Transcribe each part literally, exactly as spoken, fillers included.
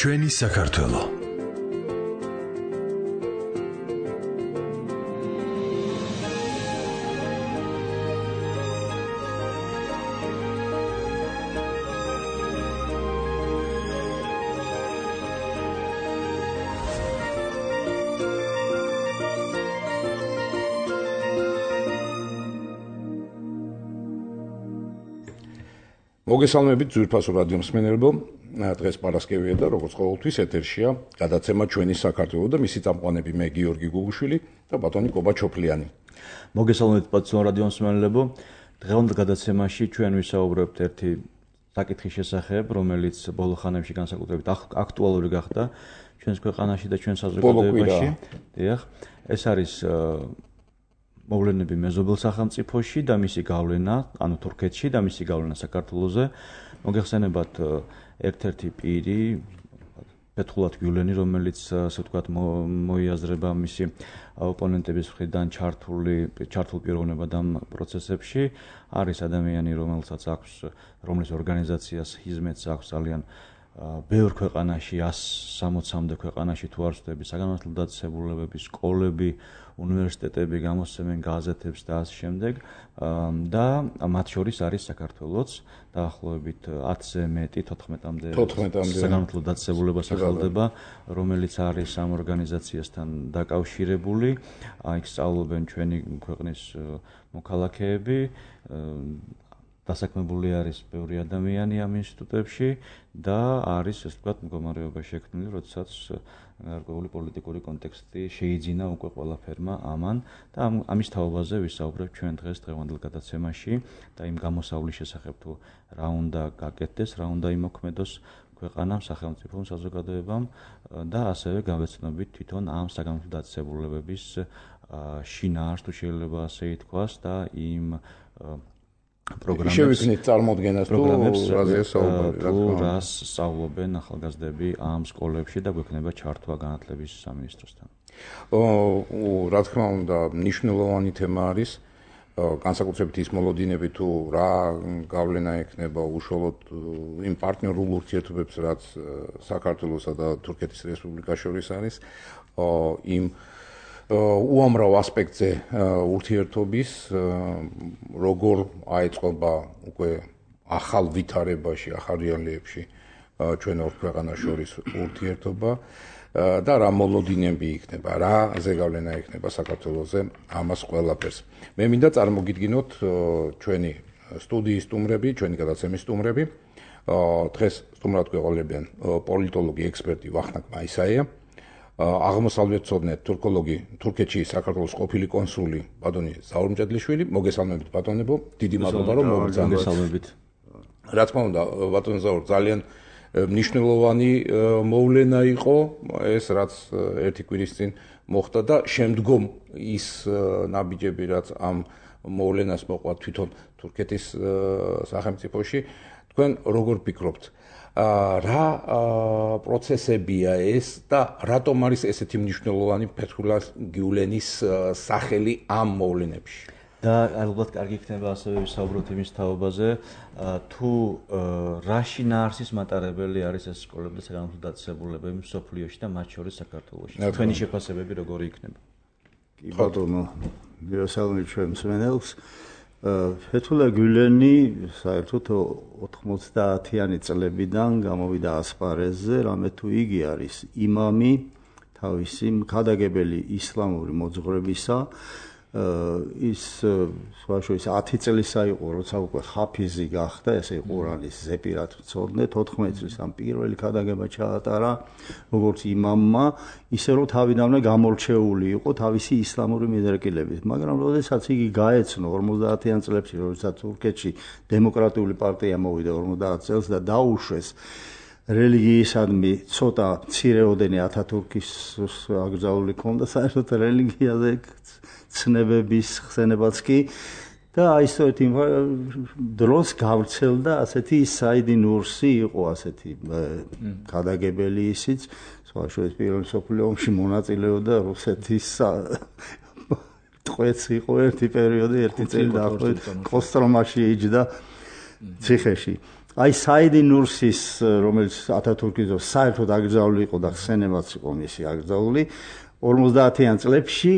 ჩვენი საქართველო. მოგესალმებით ძვირფასო რადიო მსმენელებო, დღეს პარასკევია და როგორც ყოველთვის ეთერშია გადაცემა ჩვენი საქართველო და მისი წამყვანები მე გიორგი გუგუშვილი და ბატონი კობა ჩოფლიანი. მოგესალმებით პაცო რადიო მსმენელებო, დღევანდელ გადაცემაში ჩვენ ვისაუბრებთ ერთი საკითხის შესახებ, რომელიც ბოლო ხანებში განსაკუთრებით აქტუალური გახდა ჩვენს ქვეყანაში და ჩვენ საზოგადოებაში. დიახ, ეს არის მოვლენები მეზობელ სახელმწიფოში და მისი გავლენა, ანუ თურქეთში და მისი გავლენა საქართველოზე. მოგეხსენებათ ერთ-ერთი პირი, ფეთხულად გიულენი, რომელიც ასე ვთქვათ მოიაზრება მისი ოპონენტების მხრიდან ჩართული ჩართულ პიროვნებად ამ პროცესებში, არის ადამიანი, რომელსაც აქვს, რომლის ორგანიზაციას ჰიზმეთს აქვს ძალიან ბევრ ქვეყანაში, ას სამოცამდე ქვეყანაში თუ არ ვცდები, საგანმანათლებლო დაწესებულებები, სკოლები, უნივერსიტეტები გამოსცემენ გაზეთებს და ასე შემდეგ და მათ შორის არის საქართველოც დაახლოებით ათზე მეტი თოთხმეტამდე საგანმანათლებლო დაწესებულება სახელდება, რომელიც არის ამ ორგანიზაციასთან დაკავშირებული. იქ სწავლობენ ჩვენი ქვეყნის მოქალაქეები, დასაქმებული არის ბევრი ადამიანი ამ ინსტიტუტებში და არის, ასე ვთქვათ, მდგომარეობა შექმნილი, როდესაც გარკვეული პოლიტიკური კონტექსტი შეიძინა უკვე ყველაფერმა ამან და ამის თაობაზე ვისაუბრებთ ჩვენ დღეს დღევანდელ გადაცემაში და იმ გამოსავლის შესახებ თუ რა უნდა გაკეთდეს, რა უნდა იმოქმედოს ქვეყანამ, სახელმწიფომ, საზოგადოებამ და ასევე გავეცნობით თვითონ ამ საგანმანათლებლო დაწესებულებების შინაარსს, თუ შეიძლება ასე ითქვას და იმ პროგრამებს შევიქნით წარმოდგენას თუ რაზეა საუბარი, რა თქმა უნდა, რას სწავლობენ ახალგაზრდები ამ სკოლებში და გვექნება ჩართვა განათლების სამინისტროსთან. რა თქმა უნდა, მნიშვნელოვანი თემა არის, განსაკუთრებით ის მოლოდინები თუ რა გავლენა ექნება უშუალოდ იმ პარტნიორულ ურთიერთობებს, რაც საქართველოსა და თურქეთის რესპუბლიკას შორის არის, იმ უამრავ ასპექტზე ურთიერთობის, როგორ აეწყობა უკვე ახალ ვითარებაში, ახალ რეალიებში ჩვენ ორ ქვეყანას შორის ურთიერთობა და რა მოლოდინები იქნება, რა ზეგავლენა იქნება საქართველოზე ამას ყველაფერს. მე მინდა წარმოგიდგინოთ ჩვენი სტუდიის სტუმრები, ჩვენი გადაცემის სტუმრები. დღეს სტუმრად გვეყოლებიან პოლიტოლოგი, ექსპერტი ვახტანგ მაისაია, აღმოსავლეთმცოდნე თურქოლოგი, თურქეთში საქართველოს ყოფილი კონსული ბატონი ზაურ მჭედლიშვილი. მოგესალმებით ბატონებო, დიდი მადლობა რომ მოგესალმებით. რა თქმა უნდა, ბატონ ზაურ, ძალიან მნიშვნელოვანი მოვლენა იყო ეს, რაც ერთი კვირის წინ მოხდა და შემდგომ ის ნაბიჯები, რაც ამ მოვლენას მოყვა თვითონ თურქეთის სახელმწიფოში. თქვენ როგორ ფიქრობთ? რა პროცესებია ეს და რატომ არის ესეთი მნიშვნელოვანი ფეთხულას გიულენის სახელი ამ მოვლენებში? და ალბათ კარგი იქნება ასევე ვისაუბროთ იმის თაობაზე, თუ რა შინაარსის მატარებელი არის ეს სკოლები და საგანმანათლებლო დაწესებულებები მსოფლიოში და მათ შორის საქართველოში. თქვენი შეფასებები როგორი იქნება? კი ბატონო, მივესალმებით ჩვენ მსმენელს. ფეთხულა გიულენი საერთოდ ოთხმოცდაათიანი წლებიდან გამოვიდა ასპარეზზე, რამე თუ იგი არის იმამი, თავისი მქადაგებელი ისლამური მოძღვრებისა. ის სხვაშორის ათი წლისა იყო, როცა უკვე ხაფიზი გახდა, ესე ყურანის ზეპირად ვწოდნე, თოთხმეტ წლის ამ პირველი ქადაგება ჩაატარა როგორც იმამმა, ისე რომ თავიდანვე გამორჩეული იყო თავისი ისლამური მიდრეკილებით. მაგრამ როდესაც იგი გაეცნო ორმოცდაათიან წლებში, როდესაც თურქეთში დემოკრატიული პარტია მოვიდა ორმოცდაათ წელს და დაუშვეს რელიგიისადმი ცოტა მცირეოდენი ათათურქის აკრძალული ქონდა საერთოდ რელიგიაზე ცნებების ხსენებაც კი და აი სწორედ იმ დროს გავრცელდა ასეთი საიდი ნურსი იყო ასეთი ქადაგებელი ისიც, სხვაშორის პირველ მსოფლიო ომში მონაწილეობდა რუსეთის ტყვეც იყო ერთი პერიოდი, ერთი წელი დაახლოებით კოსტრომაში იჯდა ციხეში. აი საიდი ნურსის, რომელიც ათათურქის დროს საერთოდ აკრძალული იყო და ხსენებაც იყო მისი აკრძალული, ორმოცდაათიან წლებში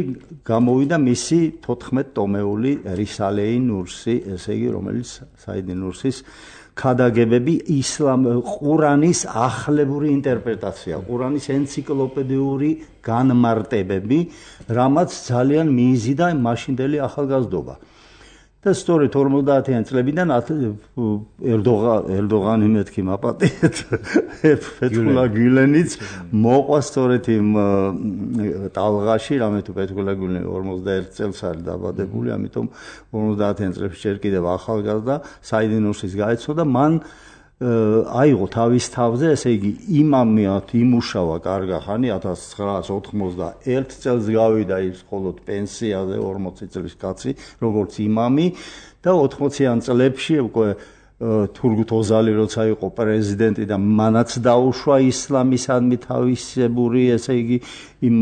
გამოვიდა მისი თოთხმეტ ტომეული რისალეი ნურსი, ესე იგი, რომელიც საიდი ნურსის ქადაგებები ისლამ ყურანის ახლებური ინტერპრეტაცია, ყურანის ენციკლოპედიური განმარტებები, რამაც ძალიან მიიზიდა მაშინდელი ახალგაზრდობა. და სწორედ ორმოცდაათიან წლებიდან ერდოღანი მეთქი მაპატიეთ ფეთქულა გილენიც მოყვა სწორედ იმ ტალღაში, რამე თუ ფეთქულა გილენი ორმოცდაერთ წელს არის დაბადებული, ამიტომ ორმოცდაათიან წლებში ჯერ კიდევ ახალგაზრდა საიდი ნურსის გაეცნო და მან აიღო თავის თავზე, ესე იგი, იმამიად იმუშავა კარგა ხანი, ათას ცხრაას ოთხმოცდაერთ წელს გავიდა ის მხოლოდ პენსიაზე, ორმოცი წლის კაცი, როგორც იმამი და ოთხმოციან წლებში უკვე თურგუთ ოზალი როცა იყო პრეზიდენტი და მანაც დაუშვა ისლამისადმი თავისებური, ესე იგი, იმ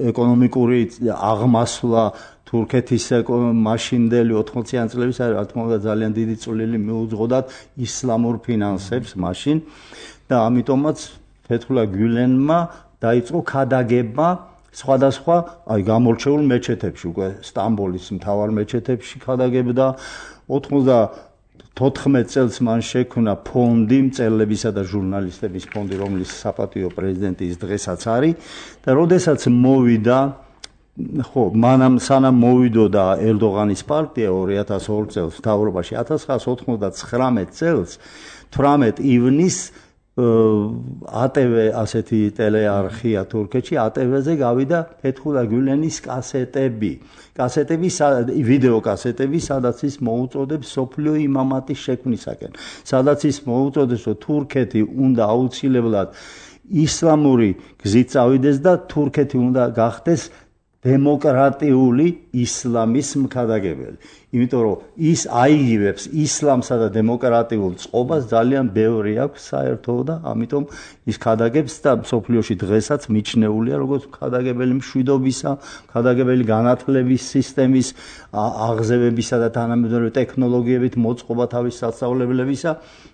ეკონომიკური აღმასვლა თურქეთის მაშინდელი ოთხმოციან წლების რა თქმა უნდა ძალიან დიდი წვლილი მიუძღოდათ ისლამურ ფინანსებს მაშინ და ამიტომაც ფეთქულა გულენმა დაიწყო ქადაგება სხვადასხვა აი გამორჩეულ მეჩეთებში, უკვე სტამბოლის მთავარ მეჩეთებში ქადაგებდა. ოცდათოთხმეტ წელს მან შექმნა ფონდი, მწერლებისა და ჟურნალისტების ფონდი, რომლის საპატიო პრეზიდენტის დღესაც არის და როდესაც მოვიდა ხო, მანამ სანამ მოვიდოდა ერდოღანის პარტია ორი ათას ორ წელს მთავრობაში, ათას ცხრაას ოცდაცხრამეტ წელს თვრამეტ ივნისს ა ტე ვე ასეთი ტელეარხია თურქეთში, ა ტე ვე-ზე გავიდა ფეთქულა გულენის კასეტები. კასეტები, ვიდეო კასეტები, სადაც ის მოუწოდებს სოფლიო იმამატის შექმნისაკენ. სადაც ის მოუწოდებს, რომ თურქეთი უნდა აუცილებლად ისლამური გზით წავიდეს და თურქეთი უნდა გახდეს დემოკრატიული ისლამის მქადაგებელი. იმიტომ რომ ის აიგივებს ისლამსა და დემოკრატიულ წყობას ძალიან ბევრი აქვს საერთოდ და ამიტომ ის ქადაგებს და მსოფლიოში დღესაც მიჩნეულია როგორც მქადაგებელი მშვიდობისა, მქადაგებელი განათლების სისტემის აღზევებისა და თანამედროვე ტექნოლოგიებით მოწყობა თავის სასწავლებლებისა.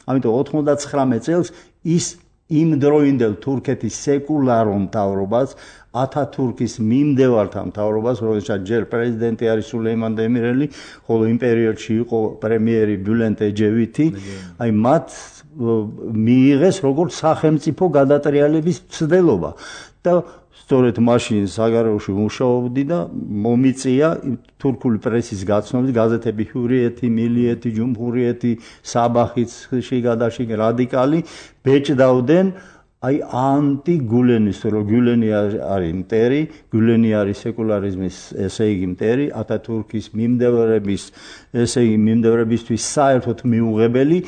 ამიტომ ოცდაცხრამეტ წელს ის იმ დროინდელ თურქეთის სეკულარულ მთავრობას, ათათურქის მიმდევართა მთავრობას, როდესაც ჯერ პრეზიდენტი არის სულეიმან დემირელი, ხოლო იმ პერიოდში იყო პრემიერი ბულენტ ეჯევითი, აი მათ მიიღეს როგორც სახელმწიფო გადატრიალების მცდელობა და სწორედ მაშინ საგარეოში მუშაობდი და მომიწია თურქული პრესის გაცნობით, გაზეთები ჰურიეთი, მილიეთი, ჯუმჰურიეთი, საბახიც, შიგადაში რადიკალი ბეჭდავდნენ აი ანტი გულენის, რომ გულენი არის მტერი, გულენი არის სეკულარიზმის, ესე იგი მტერი, ათათურქის მიმდევრების, ესე იგი მიმდევრებისთვის საერთოდ მიუღებელი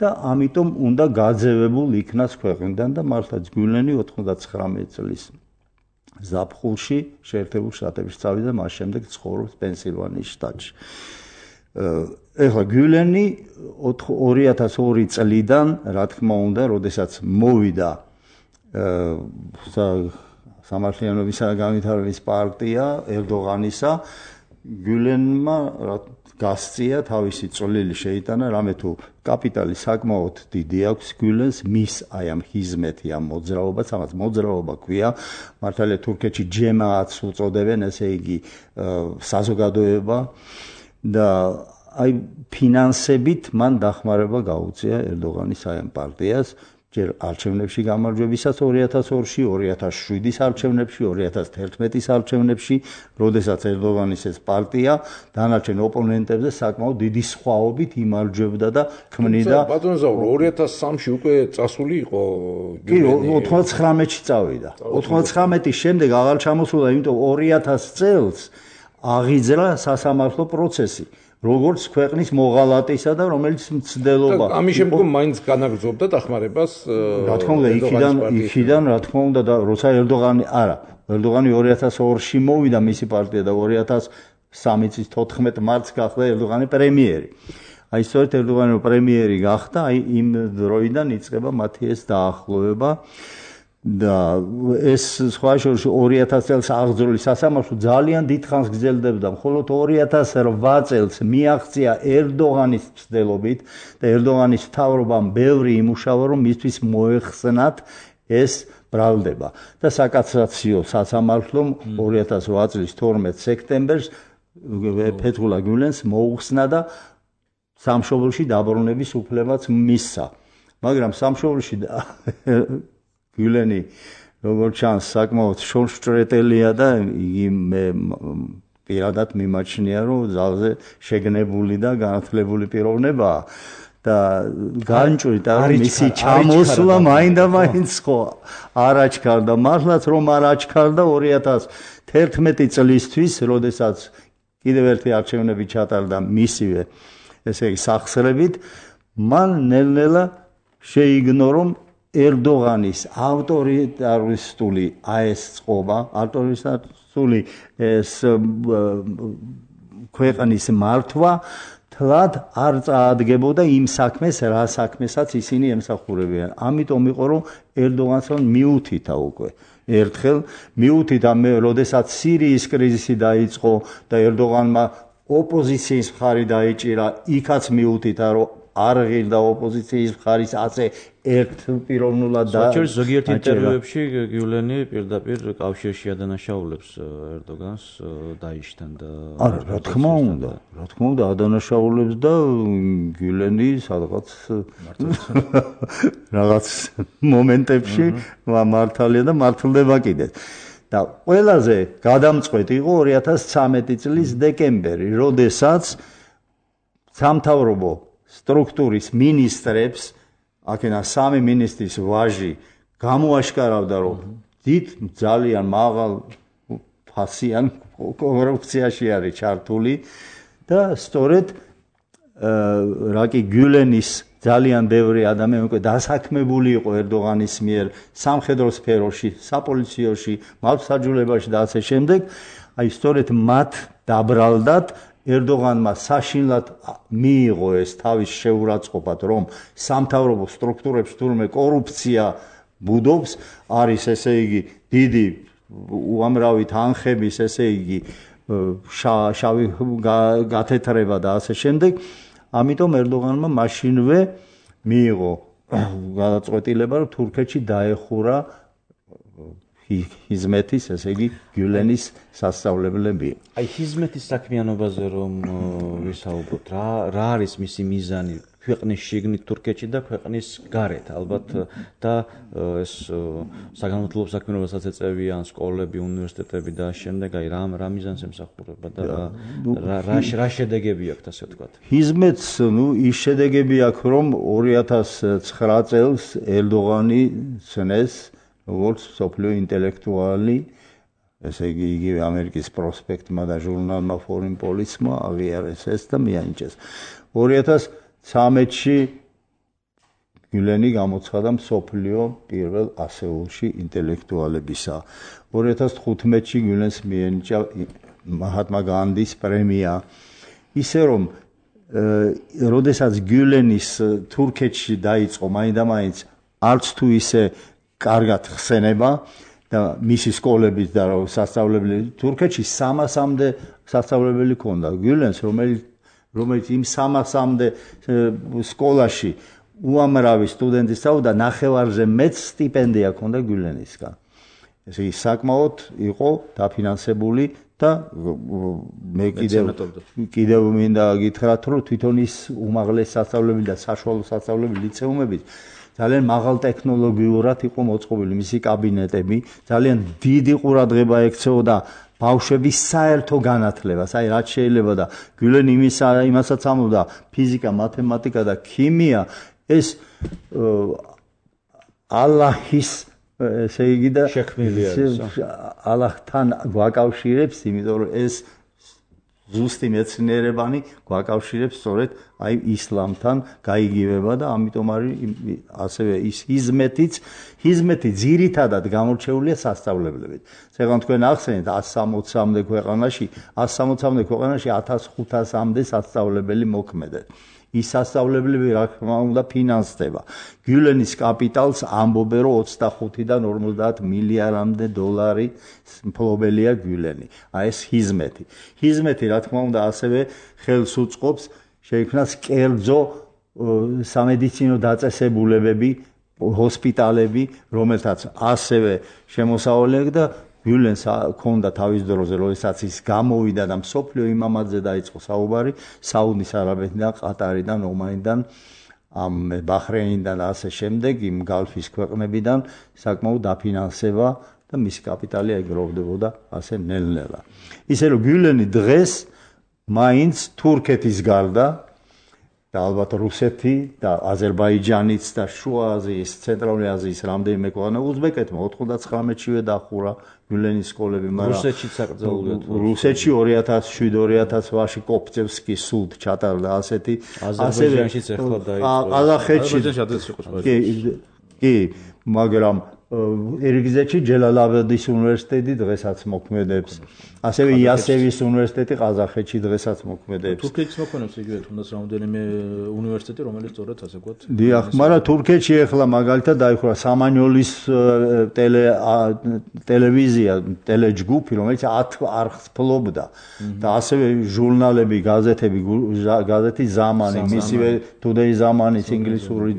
და ამიტომ უნდა გაძევებულ იქნას ქვეყნიდან და მართლაც გულენი ოცდაცხრამეტ წლის ზაფხულში შეერთებულ შტატებში წავიდა, მას შემდეგ ცხოვრობს პენსილვანიის შტატში. ეხლა გულენი ორი ათას ორი წლიდან, რა თქმა უნდა, როდესაც მოვიდა სამართლიანობისა და განვითარების პარტია ერდოღანისა, გულენმა გასწია თავისი წვლილი შეიტანა, რამე თუ კაპიტალი საკმაოდ დიდი აქვს გულენს, მის აი ამ ჰიზმეთი, ამ მოძრაობას, ამას მოძრაობა ქვია, მართალია თურქეთში ჯემაათს უწოდებენ, ესე იგი საზოგადოება და აი ფინანსებით მან დახმარება გაუწია ერდოღანის აი ამ პარტიას, ჯერ არჩევნებში გამარჯვებისას ორი ათას ორში, ორი ათას შვიდის არჩევნებში, ორი ათას თერთმეტის არჩევნებში, როდესაც ერდოღანის ეს პარტია დანარჩენ ოპონენტებზე საკმაოდ დიდი სხვაობით იმარჯვებდა და ქმნიდა. ბატონო ზაურო, ორი ათას სამში უკვე წასული იყო კი, ოცდაცხრამეტში წავიდა. ოცდაცხრამეტის შემდეგ აღარ ჩამოსულა, იმიტომ ორი ათას წელს აღიძრა სასამართლო პროცესი. როგორც ქვეყნის მოღალატისა და რომელიც მცდელობა. ამის შემდგომ მაინც განაგრძობდა დახმარებას. რა თქმა უნდა, იქიდან, იქიდან, რა თქმა უნდა, და როცა ერდოღანი, არა, ერდოღანი ორი ათას ორში მოვიდა მისი პარტია და ორი ათას სამი წლის თოთხმეტ მარტს გახდა ერდოღანი პრემიერი. აი სწორედ ერდოღანი პრემიერი გახდა, აი იმ დროიდან იწყება მათი ეს დაახლოება. და ეს სხვა შორის ორი ათასი წელს აღძრული სასამართლო ძალიან დიდხანს გრძელდებოდა, მხოლოდ ორი ათას რვა წელს მიაღწია ერდოღანის მცდელობით და ერდოღანის მთავრობამ ბევრი იმუშავა, რომ მისთვის მოეხსნათ ეს ბრალდება და საკასაციო სასამართლომ ორი ათას რვა წლის თორმეტ სექტემბერს ფეთხულა გულენს მოუხსნა და სამშობლოში დაბრუნების უფლებაც მისცა. მაგრამ სამშობლოში გულენი როგორც ჩანს საკმაოდ შორშჭრეტელია და იგი მე პირადად მიმაჩნია, რომ ძალზე შეგნებული და განათლებული პიროვნებაა და განჭვრით არ მისი ჩამოსვლა მაინდა-მაინც ხო არ აჩქარდა. მართლაც რომ არ აჩქარდა ორი ათას თერთმეტი წლისთვის, როდესაც კიდევ ერთი არჩევნები ჩატარდა მისივე ესე იგი სახსრებით, მან ნელ-ნელა შეიგნო, რომ ერდოღანის ავტორიტარისტული ეს წყობა, ავტორიტარისტული ეს ქვეყნის მართვა თლად არ წაადგებოდა იმ საქმეს, რა საქმესაც ისინი ემსახურებიან. ამიტომ იყო, რომ ერდოღანს მიუთითა უკვე. ერთხელ მიუთითა მე, როდესაც სირიის კრიზისი დაიწყო და ერდოღანმა ოპოზიციის მხარი დაიჭირა, იქაც მიუთითა, რომ არ ღირდა ოპოზიციის მხარის ასე ერთ პიროვნულად და საერთოდ ზოგიერთ ინტერვიუებში გიულენი პირდაპირ კავშირში ადანაშაულებს ერდოგანს დაიშთან და არა, რა თქმა უნდა, რა თქმა უნდა ადანაშაულებს და გიულენი სადღაც რაღაც მომენტებში მართალია და მართლდება კიდეც. და ყველაზე გადამწყვეტი იყო ორი ათას ცხრამეტი წლის დეკემბერი, როდესაც სამთავრობო სტრუქტურის მინისტრებს, აქენა სამი მინისტრის ვაჟი გამოაშკარავდა, რომ დიდ ძალიან მაღალ ფასიან კორუფციაში არის ჩართული და სწორედ რაკი გულენის ძალიან ბევრი ადამიანი უკვე დასაქმებული იყო ერდოღანის მიერ სამხედრო სფეროში, საპოლიციოში, მართლმსაჯულებაში და ასე შემდეგ, აი სწორედ მათ დაბრალდათ ერდოღანმა საშინლად მიიღო ეს თავის შეურაცხყოფად, რომ სამთავრობო სტრუქტურებში თურმე კორუფცია ბუდობს, არის ესე იგი დიდი უამრავი თანხების ესე იგი შავი გათეთრება და ასე შემდეგ. ამიტომ ერდოღანმა მაშინვე მიიღო გადაწყვეტილება, რომ თურქეთში დაეხურა ჰიზმეთის, ესე იგი გულენის სასწავლებლები. აი ჰიზმეთის საქმიანობაზე რომ ვისაუბროთ, რა რა არის მისი მიზანი ქვეყნის შიგნით თურქეთში და ქვეყნის გარეთ, ალბათ და ეს საგანმანათლებლო საქმიანობასაც ეწევიან სკოლები, უნივერსიტეტები და შემდეგ აი რა რა მიზანს ემსახურება და რა რა შედეგები აქვს, ასე ვთქვათ. ჰიზმეთს, ნუ ის შედეგები აქვს, რომ ორი ათას ცხრა წელს ერდოღანი ცნეს როგორც სოფლიო ინტელექტუალი, ესე იგი იგივე ამერიკის პროსპექტმა და ჟურნალმა Foreign Policy-მა აღიარეს ეს და მიანიჭეს. ორი ათას ცხრამეტში გულენი გამოცხადა მსოფლიო პირველ ასეულში ინტელექტუალებისა. ორი ათას თხუთმეტში გულენს მიენიჭა მაჰატმა განდის პრემია. ისე რომ როდესაც გულენის თურქეთში დაიწყო მაინდა-მაინც არც თუ ისე კარგად ხსენება და მისი სკოლების და სასწავლებელი თურქეთში სამასამდე სასწავლებელი ჰქონდა. გულენს რომელიც რომელიც იმ სამასამდე სკოლაში უამრავი სტუდენტი სწავლობდა, ნახევარზე მეც სტიპენდია ჰქონდა გულენისგან. ესე იგი საკმაოდ იყო დაფინანსებული და მე კიდევ კიდევ მინდა გითხრათ, რომ თვითონ ის უმაღლეს სასწავლებელი და საშუალო სასწავლებელი ლიცეუმები ძალიან მაღალ ტექნოლოგიურად იყო მოწყობილი, მისი კაბინეტები ძალიან დიდი ყურადღება ექცეოდა ბავშვების საერთო განათლებას, აი რაც შეიძლება და გულენი იმის იმასაც ამბობდა, ფიზიკა, მათემატიკა და ქიმია ეს ალლაჰის ესე იგი და შექმნილი არის. ალლაჰთან გვაკავშირებს, იმიტომ რომ ეს ზუსტი მეცნიერებანი გვაკავშირებს სწორედ აი ისლამთან გაიგივება და ამიტომ არის ასევე ის ჰიზმეთიც, ჰიზმეთი ძირითადად გამორჩეულია სასწავლებლებით. ზოგადად თქვენ ახსენეთ ათას სამოცამდე ქვეყანაში, ათას სამოცამდე ქვეყანაში ათას ხუთასამდე სასწავლებელი მოქმედებს. ის სასწავლებლები რა თქმა უნდა ფინანსდება. გიულენის კაპიტალს ამბობენ რომ ოცდახუთიდან ორმოცდაათ მილიარდამდე დოლარი მფლობელია გიულენი. აი ეს ჰიზმეთი. ჰიზმეთი რა თქმა უნდა ასევე ხელს უწყობს შეიქმნას კერძო სამედიცინო დაწესებულებები, ჰოსპიტალები, რომელთაც ასევე შემოსავლელი და გიულენს ჰქონდა თავის დროზე, როდესაც ის გამოვიდა და მსოფლიო იმამაზე დაიწყო საუბარი, საუდის არაბეთიდან, ყატარიდან, ომანიდან, ამ ბაჰრეინიდან და ასე შემდეგ, იმ გალფის ქვეყნებიდან საკმაოდ დაფინანსება და მისი კაპიტალი ეგროვდებოდა ასე ნელ-ნელა. ისე რომ გიულენი დღეს მაინც თურქეთის გარდა და ალბათ რუსეთი და აზერბაიჯანიც და შუა აზიის, ცენტრალური აზიის რამდენიმე ქვეყანა უზბეკეთმა ოთხმოცდათცხრამეტშივე დახურა გიულენის სკოლები, მაგრამ რუსეთშიც საკრძალულია. რუსეთში ორი ათას შვიდ ორი ათას ვაში კოპწევსკი სულთ ჩატარდა ასეთი, აზერბაიჯანშიც ახლა დაიწყო. ყაზახეთში კი, კი, მაგრამ ერგიზეთში ჯელალაბადის უნივერსიტეტი დღესაც მოქმედებს. ასევე იასევის უნივერსიტეტი ყაზახეთში დღესაც მოქმედებს. თურქეთის მოქმედებს იგივე თუნდაც რამდენიმე უნივერსიტეტი, რომელიც სწორედ ასე ვთქვათ. დიახ, მაგრამ თურქეთში ახლა მაგალითად დაიხურა სამანიოლის ტელე ტელევიზია, ტელეჯგუფი, რომელიც ათ არხს ფლობდა და ასევე ჟურნალები, გაზეთები, გაზეთი ზამანი, მისივე today ზამანის ინგლისური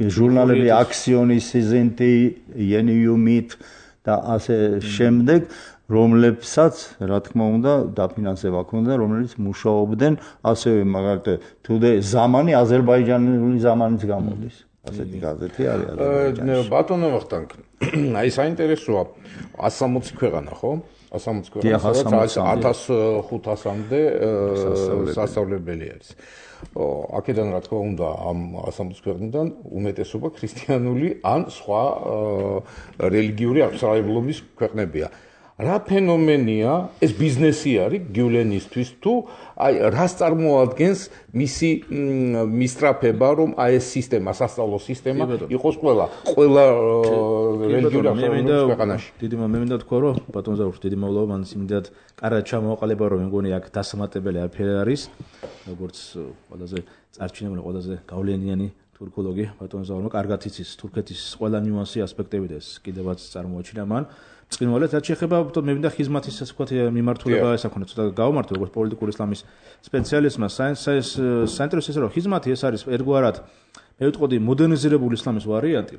ჟურნალები აქსიონის სიზინტი, იენიუმით და ასე შემდეგ, რომლებსაც რა თქმა უნდა დაფინანსება ჰქონდა, რომელიც მუშაობდნენ ასევე მაგალითად today ზამანი აზერბაიჯანული ზამანიც გამოდის. ასეთი გაზეთი არის აზერბაიჯანში. ბატონო ვახტანგ, აი საინტერესოა ათს სამოცი ქვეყანა, ხო? ათს სამოცი ქვეყანა, სადაც ათას ხუთასამდე სასწავლებელი არის. აქედან რა თქმა უნდა ამ ათს სამოცი ქვეყნიდან უმეტესობა ქრისტიანული ან სხვა რელიგიური აღსარულობის ქვეყნებია. რა ფენომენია ეს ბიზნესი არის გიულენისთვის თუ აი რას წარმოადგენს მისი მისწრაფება რომ აი ეს სისტემა, სასწავლო სისტემა იყოს ყველა ყველა რელიგიური აღსარულობის ქვეყანაში. დიდი მე მინდა თქვა რომ ბატონ ზაურში დიდი მადლობა მან იმდენად კარგად ჩამოაყალიბა რომ მეგონი აქ დასამატებელი არაფერი არის როგორც ყველაზე წარჩინებული ყველაზე გავლენიანი თურქოლოგი ბატონ ზაურმა კარგად იცის თურქეთის ყველა ნიუანსი ასპექტები და ეს კიდევაც წარმოაჩინა მან წინვალეთ რაც შეეხება მე მინდა ხიზმათის ასე ვთქვათ მიმართულება ეს აქ უნდა ცოტა გავმართო როგორც პოლიტიკური ისლამის სპეციალისტმა საინტერესო ისე რომ ხიზმათი ეს არის ერთგვარად მე ვიტყოდი მოდერნიზირებული ისლამის ვარიანტი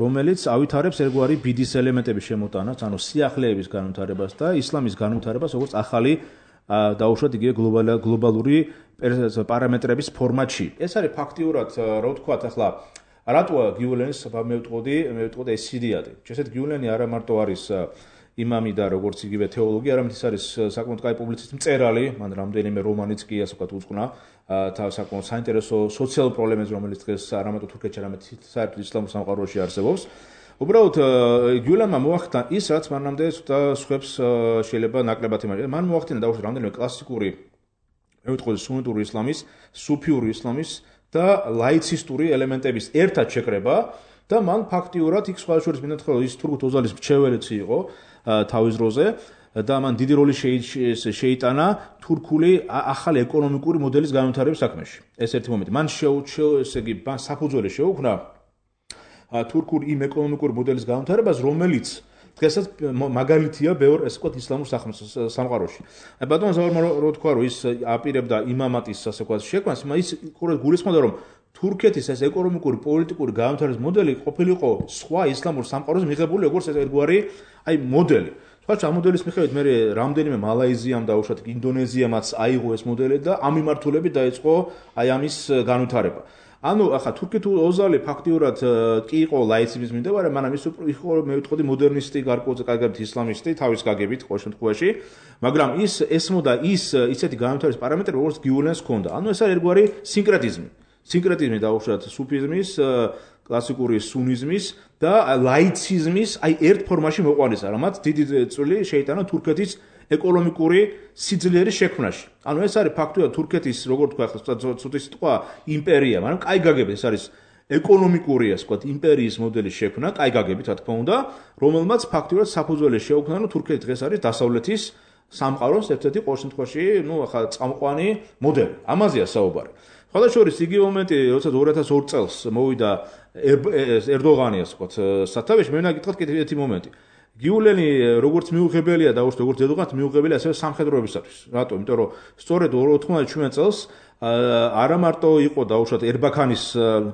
რომელიც ავითარებს ერთგვარი ბიდის ელემენტების შემოტანას ანუ სიახლეების განვითარებას და ისლამის განვითარებას როგორც ახალი დაუშვათ იგივე გლობალური პარამეტრების ფორმატში ეს არის ფაქტიურად რა ვთქვათ ახლა რატოა გიულენს მე ვიტყოდი მე ვიტყოდი ეს სიდიადი შესეთ გიულენი არა მარტო არის იმამი და როგორც იგივე თეოლოგი არამედ ის არის საკმაოდ კაი პუბლიცისტი მწერალი მან რამდენიმე რომანიც კი ასე ვთქვათ უწყნა თავ საკმაოდ საინტერესო სოციალურ პრობლემებს რომელიც დღეს არა მარტო თურქეთში არამედ საერთოდ ისლამურ სამყაროში არსებობს უბრალოდ გიულენმა მოახდინა ის რაც მანამდე სხვებს შეიძლება ნაკლებად იმაჯერა მან მოახდინა დაუშვათ რამდენიმე კლასიკური მე ვიტყოდი სუნიტური ისლამის სუფიური ისლამის და ლაიცისტური ელემენტების ერთად შეკრება და მან ფაქტიურად იქ სხვა შორის მინდა თქვა ის თურქ ოზალის მრჩეველიც იყო თავის დროზე და მან დიდი როლი შეიტანა თურქული ახალი ეკონომიკური მოდელის განვითარების საქმეში. ეს ერთი მომენტი. მან შეუჩო ესე იგი საფუძველი შეუქმნა თურქული იმ ეკონომიკური მოდელის განვითარებას, რომელიც დღესაც მაგალითია ბევრ ესე ვთქვათ ისლამურ სამყაროში. აი ბატონ ზაურმა რო თქვა რომ ის აპირებდა იმამატის ასე ვთქვათ შექმნას, ის გულისხმობდა რომ თურქეთის ეს ეკონომიკური პოლიტიკური განვითარების მოდელი ყოფილიყო სხვა ისლამურ სამყაროზე მიღებული როგორც ერთგვარი აი მოდელი. სხვა ამ მოდელის მიხედვით მე რამდენიმე მალაიზიამ და უშუალოდ ინდონეზიამაც აიღო ეს მოდელი და ამ მიმართულებით დაიწყო აი ამის განვითარება. ანუ ახლა თურქეთი ოზალი ფაქტიურად კი იყო ლაიციზმის მიმდევარი, მაგრამ ის იყო მე ვიტყოდი მოდერნისტი, გარკვეულწილად კარგად ისლამისტი, თავის გაგებით ყოველ შემთხვევაში, მაგრამ ის ესმოდა ის ისეთი განვითარების პარამეტრები, როგორც გიულენს ჰქონდა. ანუ ეს არის ერთგვარი სინკრეტიზმი. სინკრეტიზმი დაუშვათ სუფიზმის, კლასიკური სუნიზმის და ლაიციზმის აი ერთ ფორმაში მოყვანისა, რამაც დიდი წვლილი შეიტანა თურქეთის ეკონომიკური სიძლიერის შექმნაში. ანუ ეს არის ფაქტობრივად თურქეთის, როგორ თქვა ახლა ცოტა სიტყვა იმპერია, მაგრამ კაი გაგებით ეს არის ეკონომიკური ასე ვთქვათ იმპერიის მოდელის შექმნა, კაი გაგებით რა თქმა უნდა, რომელმაც ფაქტობრივად საფუძველი შეუქმნა, რომ თურქეთი დღეს არის დასავლეთის სამყაროს ერთ-ერთი ყოველ შემთხვევაში, ნუ ახლა წამყვანი მოდელი. ამაზეა საუბარი. ხალხაშორის იგივე მომენტი, როცა ორი ათას ორი წელს მოვიდა ერდოღანი, ასე ვთქვათ, სათავეში, მე უნდა გითხრათ კიდევ ერთი მომენტი. გიულენი როგორც მიუღებელია და როგორც ერდოღანს მიუღებელია ასევე სამხედროებისათვის. რატო? იმიტომ რომ სწორედ ოთხმოცდაშვიდ წელს არა მარტო იყო დაუშვათ ერბაქანის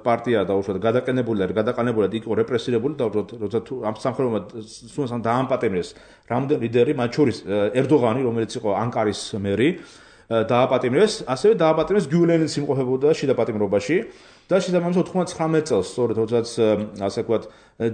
პარტია დაუშვათ გადაყენებული და გადაყენებული და იყო რეპრესირებული და როცა ამ სამხედროებმა სულთან დაამპატიმრეს რამდენი ლიდერი, მათ შორის ერდოღანი, რომელიც იყო ანკარის მერი, დააპატიმრეს, ასევე დააპატიმრეს გიულენიც იმყოფებოდა შიდა პატიმრობაში და შესაბამისად ოთხმოცდათხრამეტ წელს, სწორედ როდესაც ასე ვთქვათ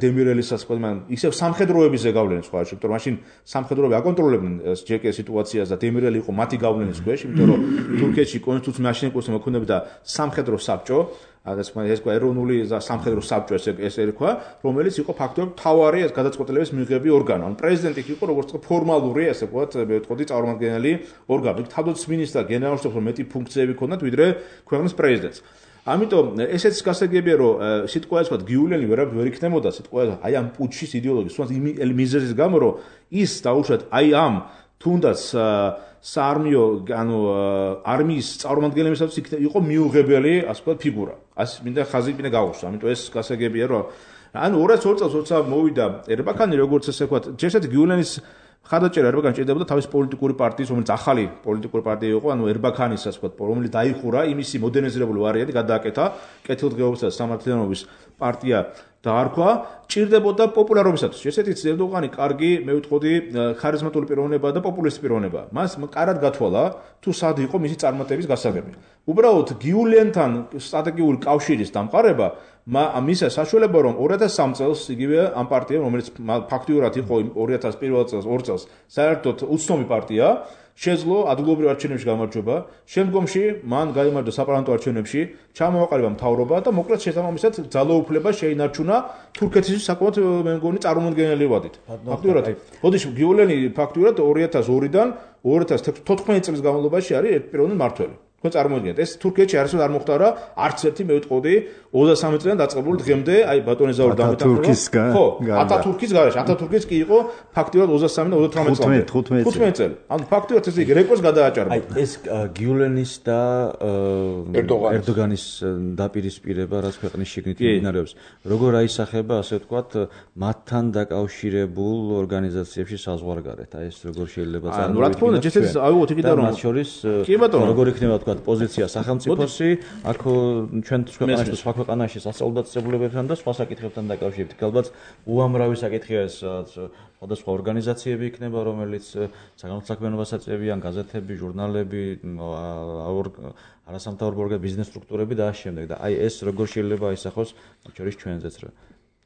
დემირელის ასე ვთქვათ, მან ისევ სამხედროების ზეგავლენის სხვა შემთხვევაში, რომ მაშინ სამხედროები აკონტროლებდნენ ჯეკ სიტუაციას და დემირელი იყო მათი გავლენის ქვეშ, იმიტომ რომ თურქეთში კონსტიტუციის მაშინ კონსტიტუცია მოქმედებდა სამხედრო საბჭო, ეს ეს ეროვნული სამხედრო საბჭო ეს ერქვა, რომელიც იყო ფაქტობრივად მთავარი გადაწყვეტილების მიღები ორგანო. ან პრეზიდენტი იყო როგორც ფორმალური, ასე ვთქვათ, მე ვთქვი წარმომადგენელი ორგანო. თავდაცვის მინისტრს და გენერალ-შტაბს მეტი ფუნქციები ჰქონდათ, ვიდრე ქვეყნის პრეზიდენტს. ამიტომ ესეც გასაგებია, რომ სიტყვა ეს ვთქვათ, გიულენი ვერ ვერ იქნებოდა სიტყვა აი ამ პუჩის იდეოლოგიის, თუნდაც იმ მიზეზის გამო, რომ ის დაუშვათ აი ამ თუნდაც საარმიო, ანუ არმიის წარმომადგენლებისათვის იყო მიუღებელი, ასე ვთქვათ, ფიგურა. ასე მინდა ხაზი მინდა გავუსვა. ამიტომ ეს გასაგებია, რომ ანუ ორი ათას ორი წელს როცა მოვიდა ერბაქანი, როგორც ესე ვთქვათ, ჯერჯერობით გიულენის ხადაჭერა ერბაქანი ჭირდებოდა თავის პოლიტიკური პარტიის, რომელიც ახალი პოლიტიკური პარტია იყო, ანუ ერბაქანის, ასე ვთქვათ, რომელიც დაიხურა, იმისი მოდერნიზებული ვარიანტი გადააკეთა, კეთილდღეობისა და სამართლიანობის პარტია დაარქვა, ჭირდებოდა პოპულარობისათვის. შესეთი ერდოღანი კარგი, მე ვიტყოდი, ხარიზმატული პიროვნება და პოპულისტი პიროვნება. მას კარად გათვალა, თუ სად იყო მისი წარმატების გასაგები. უბრალოდ გიულენთან სტრატეგიული კავშირის დამყარება მისა საშუალება, რომ ორი ათას სამი წელს იგივე ამ პარტიამ, რომელიც ფაქტიურად იყო ორი ათას პირველ წელს, ორ წელს, საერთოდ უცნობი პარტია, შეძლო ადგილობრივ არჩევნებში გამარჯვება, შემდგომში მან გაიმარჯვა საპარლამენტო არჩევნებში, ჩამოაყალიბა მთავრობა და მოკლედ შესაბამისად ძალაუფლება შეინარჩუნა თურქეთის საკუთარ მე მგონი წარმომადგენელი ვადით. ფაქტიურად, ოდიშ გიულენი ფაქტიურად ორი ათას ორიდან ორი ათას თოთხმეტ წლის განმავლობაში არის ერთპიროვნული მმართველი. თქვენ წარმოიდგინეთ, ეს თურქეთში არასდროს არ მოხდარა არც ერთი მე ვიტყოდი ოცდასამი წლიდან დაწყებული დღემდე, აი ბატონი ზაური დამეთანხმება. ხო, ათათურქის გარეშე, ათათურქის კი იყო ფაქტიურად ოცდასამი და ოცდათვრამეტ წლამდე. თხუთმეტ წელი. ანუ ფაქტიურად ეს იგი რეკორდს გადააჭარბა. აი ეს გიულენის და ერდოგანის დაპირისპირება, რაც ქვეყნის შიგნით მიმდინარეობს, როგორ აისახება, ასე ვთქვათ, მათთან დაკავშირებულ ორგანიზაციებში საზღვარგარეთ. აი ეს როგორ შეიძლება წარმოვიდგინოთ. ანუ რა თქმა უნდა, ჯერ ავიღოთ იქიდან რომ მათ შორის კი ბატონო, როგორ იქნება თქვა პოზიცია სახელმწიფოსი, აქ ჩვენ ქვეყანაში და სხვა ქვეყანაში სასწავლებლობებთან და სხვა საკითხებთან დაკავშირებით. ალბათ უამრავი საკითხია ეს სხვადასხვა ორგანიზაციები იქნება, რომელიც საგანმანათლებლო საქმიანობას აწევიან, გაზეთები, ჟურნალები, არასამთავრობო ორგანიზაციები, ბიზნეს სტრუქტურები და ამ შემდეგ. და აი ეს როგორ შეიძლება აისახოს მათ შორის ჩვენზეც რა.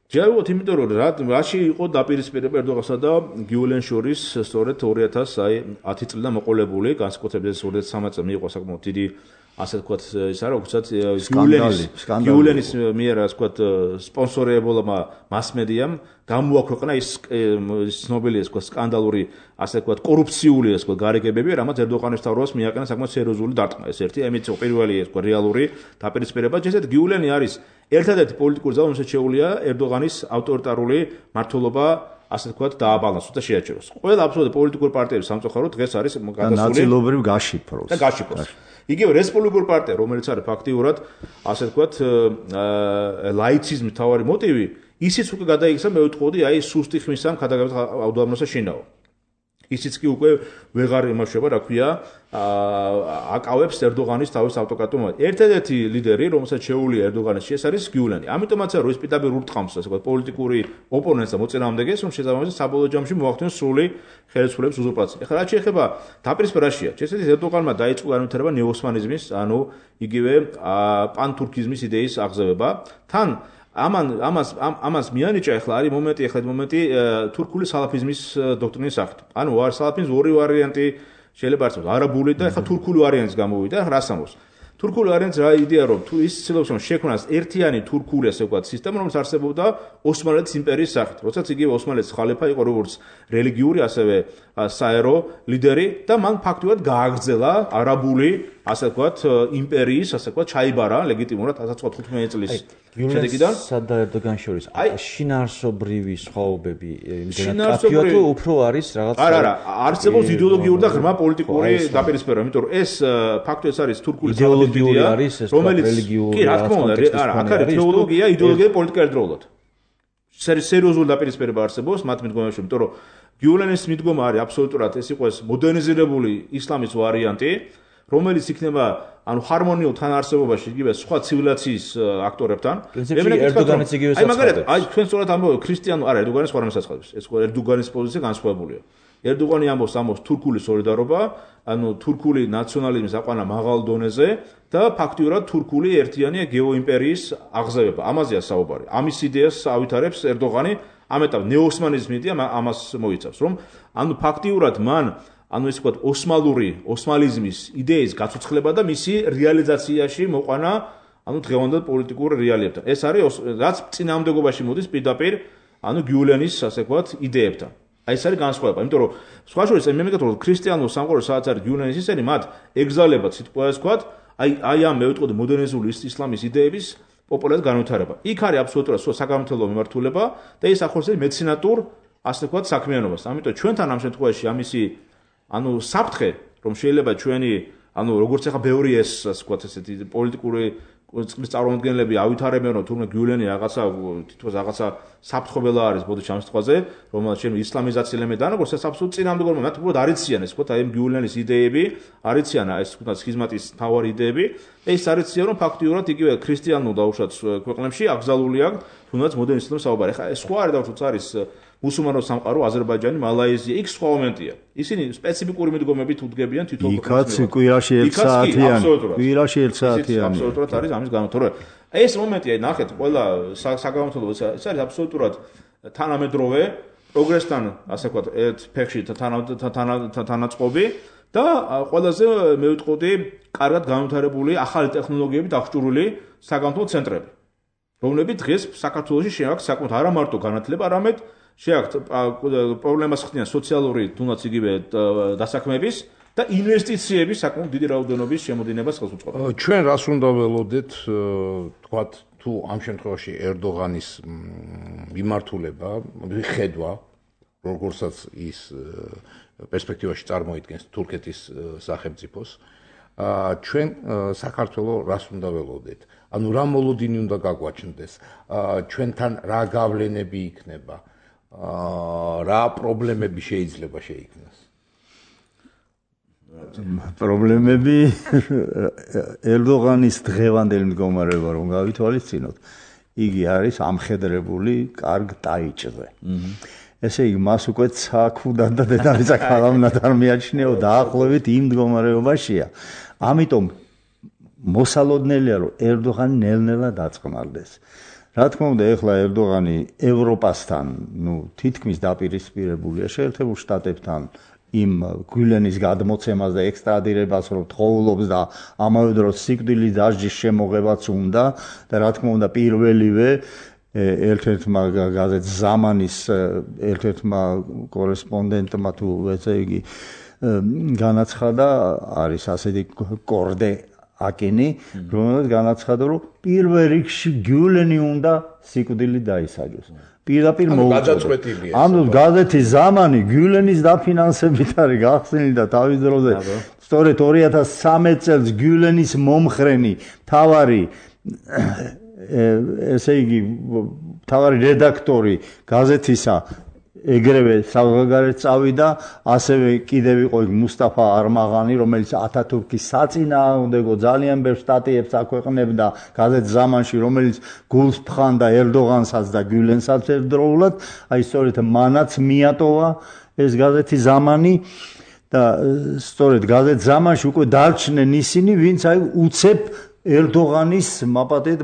ჯეროთ, იმიტომ რომ რა რაში იყო დაპირისპირება ერდოღანსა და გიულენს შორის სწორედ ორი ათას ათი წლიდან მოყოლებული, განსაკუთრებით ეს ორი ათას სამი წელი მიიღო საკმაოდ დიდი ასე ვთქვათ, ის არა, უცად გიულენის მიერ ასე ვთქვათ, სპონსორებულმა მასმედიამ გამოაქვეყნა ის ცნობილი ასე ვთქვათ, სკანდალური ასე ვთქვათ, კორუფციული ასე ვთქვათ, გარიგებები, რამაც ერდოღანის თავრობას მიაყენა საკმაოდ სერიოზული დარტყმა. ეს ერთი ამით პირველი ასე ვთქვათ, რეალური დაპირისპირება. ჯერჯერობით გიულენი არის ერთადერთი პოლიტიკური ძალა, რომელსაც შეუძლია ერდოღანის ავტორიტარული მმართველობა ასე ვთქვათ, დააბალანსოს და შეაჩეროს. ყველა აბსოლუტურად პოლიტიკური პარტიების სამწუხაროდ დღეს არის გადასული ნაწილობრივ გაშიფროს. და გაშიფროს. იგივე რესპუბლიკური პარტია, რომელიც არის ფაქტიურად ასე ვთქვათ, ლაიციზმის მთავარი მოტივი, ისიც უკვე გადაიქცა, მე ვიტყოდი, აი სუსტი ხმის ამ ქადაგებით აუდამროსა შინაო. ისიც კი უკვე ვეღარ იმუშავა, რა ქვია, აკავებს ერდოღანის თავის ავტოკრატიულ. ერთადერთი ლიდერი, რომელსაც შეუძლია ერდოღანის ეს არის გიულენი. ამიტომაც არის ის პირდაპირ ურტყამს, ასე ვთქვათ, პოლიტიკური ოპონენტს და მოწინააღმდეგეს, რომ შესაბამისად საბოლოო ჯამში მოახდინოს სრული ხელისუფლების უზურპაცია. ეხლა რაც შეეხება დაპირისპირებაშია, შესაძლოა ერდოღანმა დაიწყო განვითარება ნეოსმანიზმის, ანუ იგივე პანთურქიზმის იდეის აღზევება. თან ამან ამას ამას მიანიჭა ახლა არის მომენტი ახლა მომენტი თურქული სალაფიზმის დოქტრინის სახით. ანუ არის სალაფიზმის ორი ვარიანტი შეიძლება არსებობს, არაბული და ახლა თურქული ვარიანტის გამოვიდა, რას ამბობს? თურქული ვარიანტი რა იდეა რომ თუ ის ცდილობს რომ შექმნას ერთიანი თურქული ასე ვთქვათ სისტემა, რომელიც არსებობდა ოსმალეთის იმპერიის სახით. როდესაც იგივე ოსმალეთის ხალიფა იყო როგორც რელიგიური, ასევე საერო ლიდერი და მან ფაქტობრივად გააგრძელა არაბული ასე ვთქვათ იმპერიის ასე ვთქვათ ჩაიბარა ლეგიტიმურად ათას ცხრაასი თხუთმეტი წლის შედეგიდან სადა ერდოგან შორის შინაარსობრივი სხვაობები იმდენად კაფეო თუ უფრო არის რაღაც არა არა არსებობს იდეოლოგიური და ღრმა პოლიტიკური დაპირისპირება იმიტომ რომ ეს ფაქტი ეს არის თურქული იდეოლოგიური არის ეს რელიგიური კი რა თქმა უნდა არა აქ არის თეოლოგია იდეოლოგია პოლიტიკა ერთდროულად სერიოზული დაპირისპირება არსებობს მათ მიდგომებში იმიტომ რომ გიულენის მიდგომა არის აბსოლუტურად ეს იყო ეს მოდერნიზირებული ისლამის ვარიანტი რომელიც იქნება ანუ ჰარმონიულ თანაარსებობაში იგივე სხვა ცივილიზაციის აქტორებთან. ერდოგანიც იგივე საცხადებს. აი მაგალითად, აი თქვენ სწორად ამბობთ ქრისტიანულ, არა, ერდოგანის სხვა რამე საცხადებს. ეს ერდოგანის პოზიცია განსხვავებულია. ერდოგანი ამბობს ამბობს თურქული სოლიდარობა, ანუ თურქული ნაციონალიზმის აყვანა მაღალ დონეზე და ფაქტიურად თურქული ერთიანი გეოიმპერიის აღზევება. ამაზეა საუბარი. ამის იდეას ავითარებს ერდოგანი, ამ ეტაპზე ნეოოსმანიზმი იდეა ამას მოიცავს, რომ ანუ ფაქტიურად მან ანუ ესე ვთქვათ ოსმალური ოსმალიზმის იდეის გაცოცხლება და მისი რეალიზაციაში მოყვანა ანუ დღევანდელ პოლიტიკურ რეალიებთან. ეს არის რაც წინააღმდეგობაში მოდის პირდაპირ ანუ გიულენის ასე ვთქვათ იდეებთან. აი ეს არის განსხვავება, იმიტომ რომ სხვა შორის მე მეკითხა რომ ქრისტიანულ სამყაროს სადაც არის გიულენის ისინი მათ ეგზალება სიტყვა ეს ვთქვათ აი აი ამ მე ვიტყოდი მოდერნიზმული ისლამის იდეების პოპულარად განვითარება. იქ არის აბსოლუტურად საგამართლო მიმართულება და ეს ახორციელებს მეცინატურ ასე ვთქვათ საქმიანობას. ამიტომ ჩვენთან ამ შემთხვევაში ამისი ანუ საფრთხე რომ შეიძლება ჩვენი ანუ როგორც ახლა ბევრი ეს ასე ვთქვათ ესეთი პოლიტიკური წყლის წარმომადგენლები ავითარებენ რომ თურმე გიულენი რაღაცა თითქოს რაღაცა საფრთხებელა არის ბოდიში ამ სიტყვაზე რომელსაც ჩვენ ისლამიზაცია ელემენტი და როგორც ეს აბსოლუტურად წინააღმდეგობა მათ უბრალოდ არიციან ეს ვთქვათ აი ამ გიულენის იდეები არიციან ეს ვთქვათ სქიზმატის თავარი იდეები და ეს არიციან რომ ფაქტიურად იგივე ქრისტიანულ დაუშვათ ქვეყნებში აკრძალული აქვს თუნდაც მოდერნ ისლამის საუბარი ხა ეს სხვა არის დაუშვათ არის მუსულმანო სამყარო აზერბაიჯანი, მალაიზია, იქ სხვა მომენტია. ისინი სპეციფიკური მიდგომებით უდგებიან თვითონ იქაც კვირაში ერთ საათიანი. კვირაში ერთ საათიანი. აბსოლუტურად არის ამის განმარტოება. ეს მომენტია, ნახეთ, ყველა საგამართლო ეს არის აბსოლუტურად თანამედროვე პროგრესთან, ასე ვთქვათ, ერთ ფეხში თანაწყობი და ყველაზე მე ვიტყოდი, კარგად განვითარებული ახალი ტექნოლოგიებით აღჭურვილი საგამართლო ცენტრები, რომლებიც დღეს საქართველოში შეაქვს საკმაოდ არა მარტო განათლება, არამედ შეაქვთ პრობლემას ხდიან სოციალური თუნდაც იგივე დასაქმების და ინვესტიციების საკმაოდ დიდი რაოდენობის შემოდინებას ხელს უწყობს. ჩვენ რას უნდა ველოდეთ, თქვათ, თუ ამ შემთხვევაში ერდოგანის მიმართულება, ხედვა, როგორცაც ის პერსპექტივაში წარმოიდგენს თურქეთის სახელმწიფოს, ჩვენ საქართველოს რას უნდა ველოდეთ? ანუ რა მოლოდინი უნდა გაგვაჩნდეს? ჩვენთან რა გავლენები იქნება? რა პრობლემები შეიძლება შეიქმნას? პრობლემები ერდოგანის დღევანდელი მდგომარეობა რომ გავითვალისწინოთ, იგი არის ამხედრებული კარგ ტაიჭზე. ესე იგი მას უკვე ცაქუდან და დედამიწა ქალამნად არ მიაჩნიაო დაახლოებით იმ მდგომარეობაშია. ამიტომ მოსალოდნელია რომ ერდოგანი ნელ-ნელა დაწყნარდეს. რა თქმა უნდა, ეხლა ერდოგანი ევროპასთან, ნუ თითქმის დაპირისპირებულია შეერთებულ შტატებთან იმ გიულენის გადმოცემას და ექსტრადირებას რომ თხოვლობს და ამავე დროს სიკვდილის დასჯის შემოღებაც უნდა და რა თქმა უნდა პირველივე ერთ-ერთმა გაზეთ ზამანის ერთ-ერთმა კორესპონდენტმა თუ ესე იგი განაცხადა არის ასეთი კორდე აკინი, რომელსაც განაცხადა, რომ პირველ რიგში გიულენი უნდა სიკვდილით დაისაჯოს. პირდაპირ მოუწოდა. ანუ გაზეთი ზამანი გიულენის დაფინანსებით არის გახსნილი და თავის დროზე სწორედ ორი ათას სამი წელს გიულენის მომხრენი თავარი ესე იგი თავარი რედაქტორი გაზეთისა ეგრევე საზღვარგარეთ წავიდა, ასევე კიდევ იყო იქ მუსტაფა არმაღანი, რომელიც ათათურქის საწინააღმდეგო ძალიან ბევრ სტატიებს აქვეყნებდა გაზეთ ზამანში, რომელიც გულს თხანდა ერდოგანსაც და გიულენსაც ერთდროულად, აი სწორედ მანაც მიატოვა ეს გაზეთი ზამანი და სწორედ გაზეთ ზამანში უკვე დარჩნენ ისინი, ვინც აი უცებ ერდოგანის მაპატეთ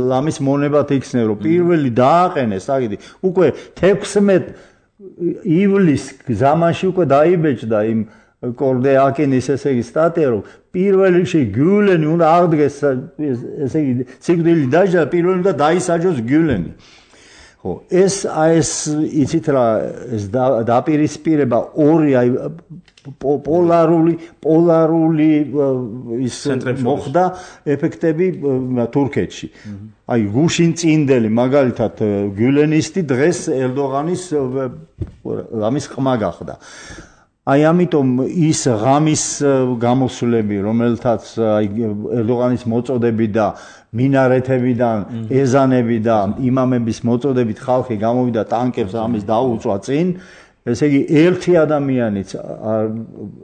ლამის მონებად იქცნენ, რომ პირველი დააყენეს, აგიდი, უკვე თექვსმეტ ივლის ზამანში უკვე დაიბეჭდა იმ კორდე აკინის ესე იგი სტატია, რომ პირველ რიგში გიულენი უნდა აღდგეს ესე იგი სიკვდილით დაჯდა, პირველი უნდა დაისაჯოს გიულენი. ხო, ეს აი ეს იცით რა ეს დაპირისპირება ორი აი პოლარული პოლარული ის მოხდა ეფექტები თურქეთში. აი გუშინ წინდელი მაგალითად გულენისტი დღეს ერდოღანის ამის ყმა გახდა. აი ამიტომ ის ღამის გამოსვლები, რომელთაც აი ერდოღანის მოწოდები და მინარეთებიდან, ეზანები და იმამების მოწოდებით ხალხი გამოვიდა ტანკებს ამის დაუწვა წინ, ესე იგი ერთი ადამიანიც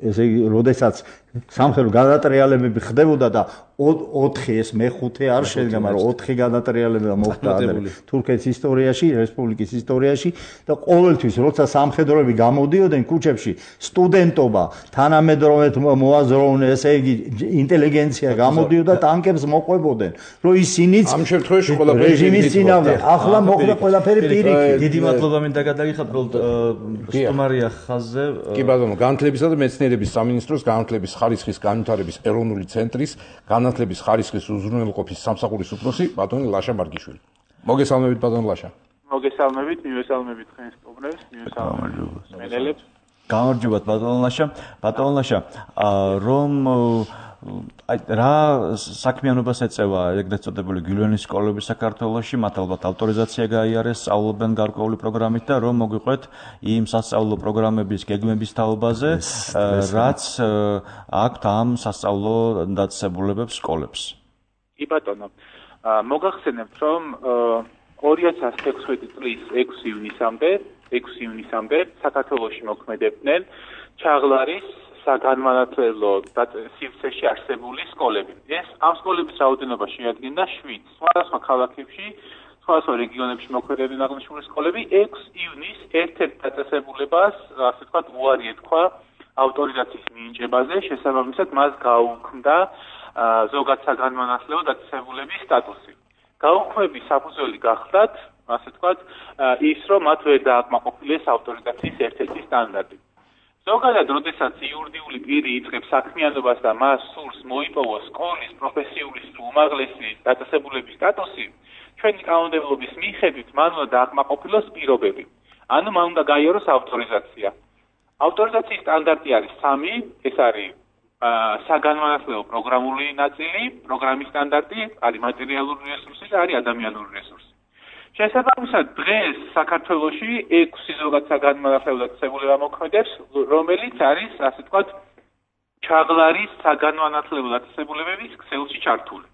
ესე იგი როდესაც სამხედრო გადატრიალებები ხდებოდა და ოთხი ეს მეხუთე არ შედგა, მაგრამ ოთხი გადატრიალება მოხდა თურქეთის ისტორიაში, რესპუბლიკის ისტორიაში და ყოველთვის როცა სამხედროები გამოდიოდნენ ქუჩებში, სტუდენტობა, თანამედროვე მოაზროვნე, ესე იგი ინტელიგენცია გამოდიოდა ტანკებს მოყვებოდნენ, რომ ისინიც ამ შემთხვევაში ყველაფერი რეჟიმის წინააღმდეგ. ახლა მოხდა ყველაფერი პირიქით. დიდი მადლობა მინდა გადაგიხადოთ, სტუმარია ხაზზე. კი ბატონო, განათლებისა და მეცნიერების სამინისტროს განათლების ხარისხის განვითარების ეროვნული ცენტრის განათლების ხარისხის უზრუნველყოფის სამსახურის უფროსი ბატონი ლაშა მარგიშვილი. მოგესალმებით ბატონო ლაშა. მოგესალმებით, მივესალმებით თქვენ სტუმრებს, მივესალმებით მენელებს. გამარჯობათ ბატონო ლაშა. ბატონო ლაშა, რომ აი რა საქმიანობას ეწევა ეგრეთ წოდებული გილვენის სკოლები საქართველოში, მათ ალბათ ავტორიზაცია გაიარეს, სწავლობენ გარკვეული პროგრამით და რომ მოგვიყვეთ იმ სასწავლო პროგრამების გეგმების თაობაზე, რაც აქვთ ამ სასწავლო დაწესებულებებს სკოლებს. კი ბატონო, მოგახსენებთ, რომ ორი ათას ექვსმეტი წლის ექვსი ივნისამდე, ექვსი ივნისამდე საქართველოში მოქმედებდნენ ჩაღლარის საგანმანათლებლო სივრცეში არსებული სკოლები. ეს ამ სკოლების რაოდენობა შეადგენდა შვიდ. სხვადასხვა ქალაქებში, სხვადასხვა რეგიონებში მოქმედებდნენ აღნიშნული სკოლები. ექვსი ივნის ერთ-ერთ დაწესებულებას, ასე ვთქვათ, უარი ეთქვა ავტორიზაციის მინიჭებაზე, შესაბამისად მას გაუქმდა ზოგად საგანმანათლებლო დაწესებულების სტატუსი. გაუქმების საფუძველი გახლდათ, ასე ვთქვათ, ის რომ მათ ვერ დააკმაყოფილეს ავტორიზაციის ერთ-ერთი სტანდარტი. ზოგადად, როდესაც იურიდიული პირი იწყებს საქმიანობას და მას სურს მოიპოვოს სკოლის პროფესიული უმაღლესი დაწესებულების სტატუსი, ჩვენი კანონმდებლობის მიხედვით მან უნდა დააკმაყოფილოს პირობები. ანუ მან უნდა გაიაროს ავტორიზაცია. ავტორიზაციის სტანდარტი არის სამი, ეს არის საგანმანათლებლო პროგრამული ნაწილი, პროგრამის სტანდარტი, არის მატერიალური რესურსი და არის ადამიანური რესურსი. შესაბამისად, დღეს საქართველოში ექვსი ზოგად საგანმანათლებლო დაწესებულება მოქმედებს, რომელიც არის, ასე ვთქვათ, ჩაღლარის საგანმანათლებლო დაწესებულებების ქსელში ჩართული.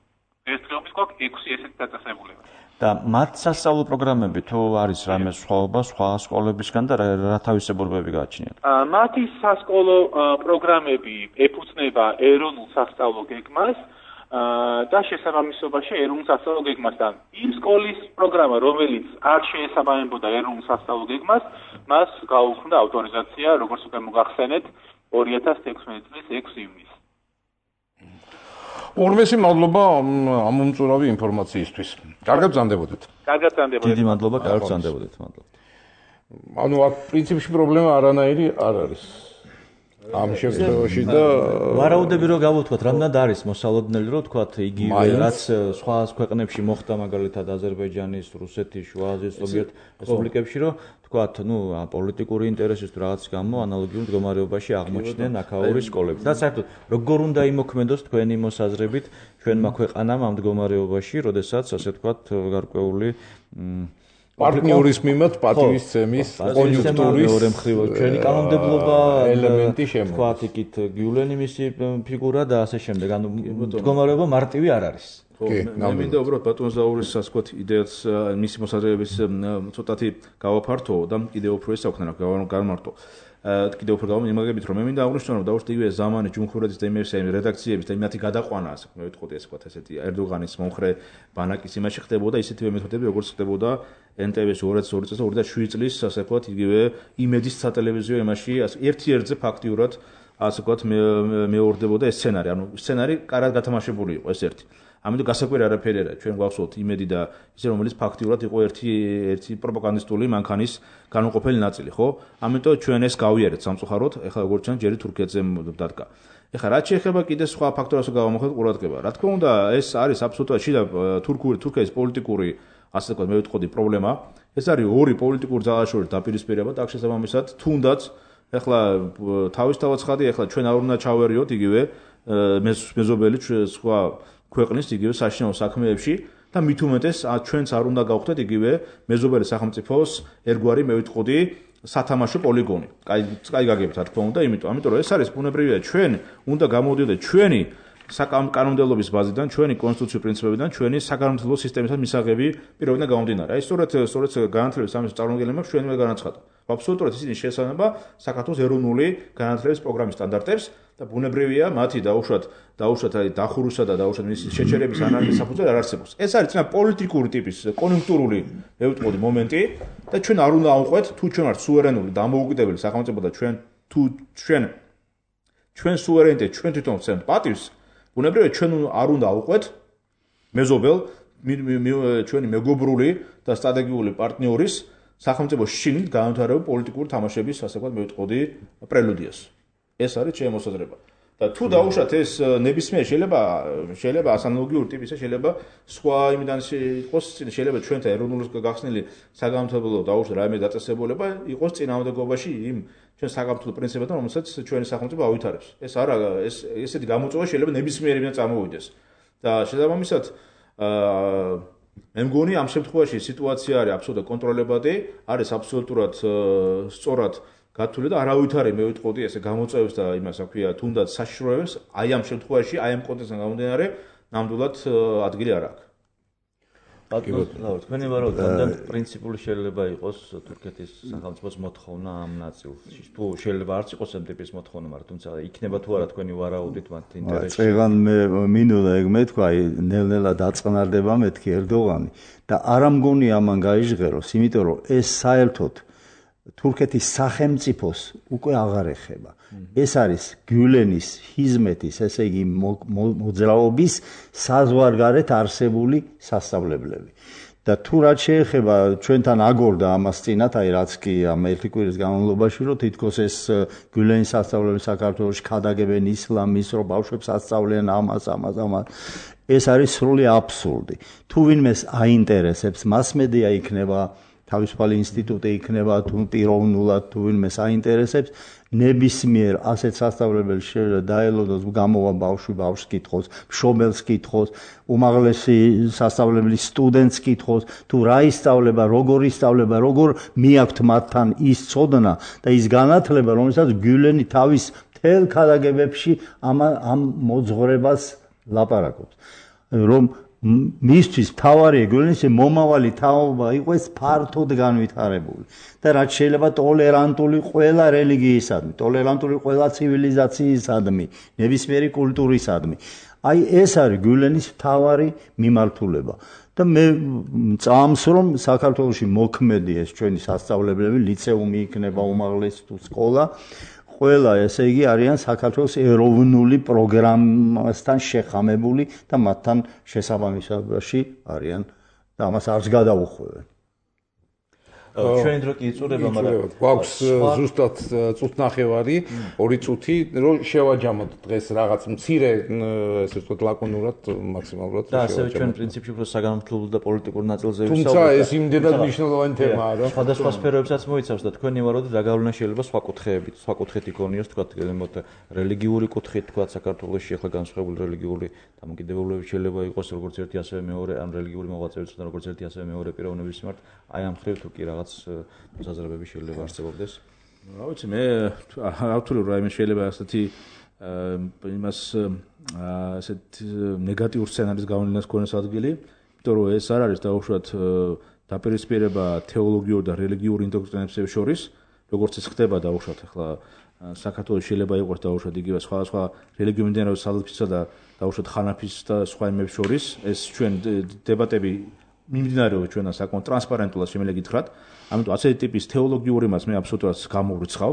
დღესდღეობით გვაქვს ექვსი ესეთი დაწესებულება. და მათ სასწავლო პროგრამები თუ არის რამე სხვაობა სხვა სკოლებისგან და რა თავისებურებები გააჩნიათ? მათი სასკოლო პროგრამები ეფუძნება ეროვნულ სასწავლო გეგმას და შესაბამისობაში ეროვნულ სასწავლო გეგმასთან. იმ სკოლის პროგრამა, რომელიც არ შეესაბამებოდა ეროვნულ სასწავლო გეგმას, მას გაუქმდა ავტორიზაცია, როგორც უკვე მოგახსენეთ, ორი ათას ექვსმეტი წლის ექვსი ივნისს. ორმესი მადლობა ამ უმწურავი ინფორმაციისთვის. კარგად ბრძანდებოდეთ. კარგად ბრძანდებოდეთ. დიდი მადლობა, კარგად ბრძანდებოდეთ, მადლობა. ანუ აქ პრინციპში პრობლემა არანაირი არ არის. ამ შემთხვევაში და ვარაუდები რომ გავუთქვათ, რამდენად არის მოსალოდნელი რომ თქვათ იგივე რაც სხვა ქვეყნებში მოხდა მაგალითად აზერბაიჯანის, რუსეთის, შუა აზიის ზოგიერთ რესპუბლიკებში რომ თქვათ, ნუ პოლიტიკური ინტერესის თუ რაღაც გამო ანალოგიურ მდგომარეობაში აღმოჩნდნენ აქაური სკოლები. და საერთოდ როგორ უნდა იმოქმედოს თქვენი მოსაზრებით ჩვენმა ქვეყანამ ამ მდგომარეობაში, როდესაც ასე თქვათ გარკვეული პარტნიორის მიმართ პატივისცემის კონjunktურის მეორე მხრივ ჩვენი კანონმდებლობა ელემენტი შემოდის. თქვათ იქით გიულენი მისი ფიგურა და ასე შემდეგ. ანუ მდგომარეობა მარტივი არ არის. კი, მე მინდა უბრალოდ ბატონ ზაურის ასე ვთქვათ იდეას მისი მოსაზრების ცოტათი გავაფართო და კიდევ უფრო ეს აქვთ რა გამარტო. კიდევ უფრო გამიმაგებით რომ მე მინდა აღვნიშნო რომ დავუშვით იგივე ზამანი ჯუმჰურეთის და იმერსი რედაქციების და იმათი გადაყვანა ასე მე ვიტყოდი ასე ვთქვათ ესეთი ერდოღანის მომხრე ბანაკის იმაში ხდებოდა ისეთივე მეთოდები როგორც ხდებოდა ენ ტე ვი-ში ორი ათას ორი წელს და ორი ათას შვიდი წლის ასე ვთქვათ იგივე იმედის სატელევიზიო იმაში ერთ-ერთზე ფაქტიურად ასე ვთქვათ მეორდებოდა ეს სცენარი ანუ სცენარი კარად გათამაშებული იყო ეს ერთი ამიტომ გასაკვირი არაფერი არა ჩვენ გვახსოვთ იმედი და ისე რომელიც ფაქტიურად იყო ერთი ერთი პროპაგანდისტული მანქანის განუყოფელი ნაწილი ხო ამიტომ ჩვენ ეს გავიარეთ სამწუხაროდ ეხლა როგორც ჩვენ ჯერი თურქეთზე დადგა ეხლა რაც შეეხება კიდე სხვა ფაქტორებს გავამოხდეთ ყურადღება რა თქმა უნდა ეს არის აბსოლუტურად შიდა თურქული თურქეთის პოლიტიკური ასე ვთქვათ, მე ვიტყოდი პრობლემა. ეს არის ორი პოლიტიკური ძალაშორის დაპირისპირება და აქ შესაბამისად თუნდაც ეხლა თავისთავად ხადი ეხლა ჩვენ არ უნდა ჩავერიოთ იგივე მეზობელი სხვა ქვეყნის იგივე საშინაო საქმეებში და მით უმეტეს ჩვენც არ უნდა გავხდეთ იგივე მეზობელი სახელმწიფოს ერთგვარი მე ვიტყოდი სათამაშო პოლიგონი. კაი კაი გაგებთ რა თქმა უნდა, იმიტომ ამიტომ რომ ეს არის ბუნებრივია ჩვენ უნდა გამოვიდეთ ჩვენი საკანონმდებლობის ბაზიდან, ჩვენი კონსტიტუციური პრინციპებიდან, ჩვენი საკანონმდებლო სისტემისგან მისაღები პირობიდან გამომდინარე. აი სწორედ სწორედ განათლების სამის წარმომადგენლებმა ჩვენ უნდა განაცხადა. აბსოლუტურად ისინი შეესაბამება საქართველოს ეროვნული განათლების პროგრამის სტანდარტებს და ბუნებრივია მათი დაუშვათ დაუშვათ აი დახურვისა და დაუშვათ მის შეჩერების ანალიზის საფუძველი არ არსებობს. ეს არის წინა პოლიტიკური ტიპის კონიუნქტურული მე ვიტყოდი მომენტი და ჩვენ არ უნდა ავყვეთ თუ ჩვენ ვართ სუვერენული დამოუკიდებელი სახელმწიფო და ჩვენ თუ ჩვენ ჩვენ სუვერენიტეტს ჩვენ თვითონ ვცემთ პატივს ბუნებრივია ჩვენ არ უნდა ავყვეთ მეზობელ ჩვენი მეგობრული და სტრატეგიული პარტნიორის სახელმწიფოს შიგნით განვითარებულ პოლიტიკური თამაშების ასე ვთქვათ მე ვიტყოდი პრელუდიას. ეს არის ჩემი მოსაზრება. და თუ დაუშვათ ეს ნებისმიერ შეიძლება შეიძლება ასანალოგიური ტიპისა შეიძლება სხვა იმიდან იყოს შეიძლება ჩვენთან ეროვნული გახსნილი საგანმანათლებლო დაუშვათ რაიმე დაწესებულება იყოს წინააღმდეგობაში იმ ჩვენ საგანმანათლებლო პრინციპებთან რომელსაც ჩვენი სახელმწიფო ავითარებს. ეს არა ეს ესეთი გამოწვევა შეიძლება ნებისმიერ იმიდან წარმოვიდეს. და შესაბამისად აა მე მგონი ამ შემთხვევაში სიტუაცია არის აბსოლუტურად კონტროლებადი, არის აბსოლუტურად სწორად გათვლილი და არავითარი მე ვიტყოდი ესე გამოწვევებს და იმას რა ქვია თუნდაც საშიშროებას აი ამ შემთხვევაში აი ამ კონტექსტიდან გამომდინარე ნამდვილად ადგილი არ აქვს. ბატონო, თქვენი ვარაუდიდან პრინციპული შეიძლება იყოს თურქეთის სახელმწიფოს მოთხოვნა ამ ნაწილში. თუ შეიძლება არც იყოს ამ ტიპის მოთხოვნა, მაგრამ თუმცა იქნება თუ არა თქვენი ვარაუდით მათ ინტერესში. წეგან მე მინულა ეგ მეთქვა, ნელ-ნელა დაწყნარდება მეთქი ერდოღანი და არ ამგონი ამან გაიჟღეროს, იმიტომ რომ ეს საერთოდ თურქეთის სახელმწიფოს უკვე აღარ ეხება. ეს არის გიულენის, ჰიზმეთის, ესე იგი მოძრაობის საზღვარგარეთ არსებული სასწავლებლები. და თუ რაც შეეხება ჩვენთან აგორდა ამას წინათ, აი რაც კი ამ ერთი კვირის განმავლობაში, რომ თითქოს ეს გიულენის სასწავლებლები საქართველოში ქადაგებენ ისლამის, რომ ბავშვებს ასწავლიან ამას, ამას, ამას. ეს არის სრული აბსურდი. თუ ვინმეს აინტერესებს, მასმედია იქნება თავისუფალი ინსტიტუტი იქნება თუ პიროვნულად თუ ვინმეს აინტერესებს ნებისმიერ ასეთ სასწავლებელს შეიძლება დაელოდოს გამოვა ბავშვი ბავშვს კითხოს, მშობელს კითხოს, უმაღლესი სასწავლებლის სტუდენტს კითხოს, თუ რა ისწავლება, როგორ ისწავლება, როგორ მიაქვთ მათთან ის ცოდნა და ის განათლება, რომელსაც გიულენი თავის მთელ ქადაგებებში ამ ამ მოძღვრებას ლაპარაკობს. რომ მისთვის თავარი გიულენის მომავალი თაობა იყოს ფართოდ განვითარებული და რაც შეიძლება ტოლერანტული ყველა რელიგიისადმი, ტოლერანტული ყველა ცივილიზაციისადმი, ნებისმიერი კულტურისადმი. აი ეს არის გიულენის თავარი მიმართულება. და მე წამს რომ საქართველოში მოქმედი ეს ჩვენი სასწავლებლები, ლიცეუმი იქნება უმაღლესი თუ სკოლა ყველა ესე იგი არიან საქართველოს ეროვნული პროგრამასთან შეხამებული და მათთან შესაბამისობაში არიან და ამას არც გადაუხვევენ. ჩვენ დრო კი იწურება, მაგრამ გვაქვს ზუსტად წუთნახევარი, ორი წუთი, რომ შევაჯამოთ დღეს რაღაც მცირე, ესე ვთქვათ, ლაკონურად, მაქსიმალურად და ასევე ჩვენ პრინციპში უფრო საგანმანათლებლო და პოლიტიკურ ნაწილზე ვისაუბრებთ. თუმცა ეს იმდენად მნიშვნელოვანი თემაა, რომ სხვადასხვა სფეროებსაც მოიცავს და თქვენი ვარაუდით რა გავლენა შეიძლება სხვა კუთხეებით, სხვა კუთხით იქონიოს, თქვათ, გელემოთ რელიგიური კუთხით, თქვათ, საქართველოში ახლა განსხვავებული რელიგიური დამოკიდებულებები შეიძლება იყოს როგორც ერთი ასევე მეორე, ამ რელიგიური მოღვაწეობის და როგორც ერთი ასევე მეორე პიროვნების მიმართ, აი ამ ხრივ თუ კი რაღაც მოსაზრებები შეიძლება არსებობდეს. რა ვიცი, მე ავთვლი რაიმე შეიძლება ასეთი იმას ასეთ ნეგატიურ სცენარის გავლენას ქონდეს ადგილი, იმიტომ რომ ეს არ არის დაუშვათ დაპირისპირება თეოლოგიურ და რელიგიურ ინდოქტრინაციებს შორის, როგორც ეს ხდება დაუშვათ ახლა საქართველოს შეიძლება იყოს დაუშვათ იგივე სხვადასხვა რელიგიურ მიმდინარეობის სალაფისა და დაუშვათ ხანაფის და სხვა იმებს შორის, ეს ჩვენ დებატები მიმდინარეობს ჩვენთან საკმაოდ ტრანსპარენტულად შემიძლია გითხრათ. ამიტომ ასეთი ტიპის თეოლოგიური მას მე აბსოლუტურად გამოვრიცხავ.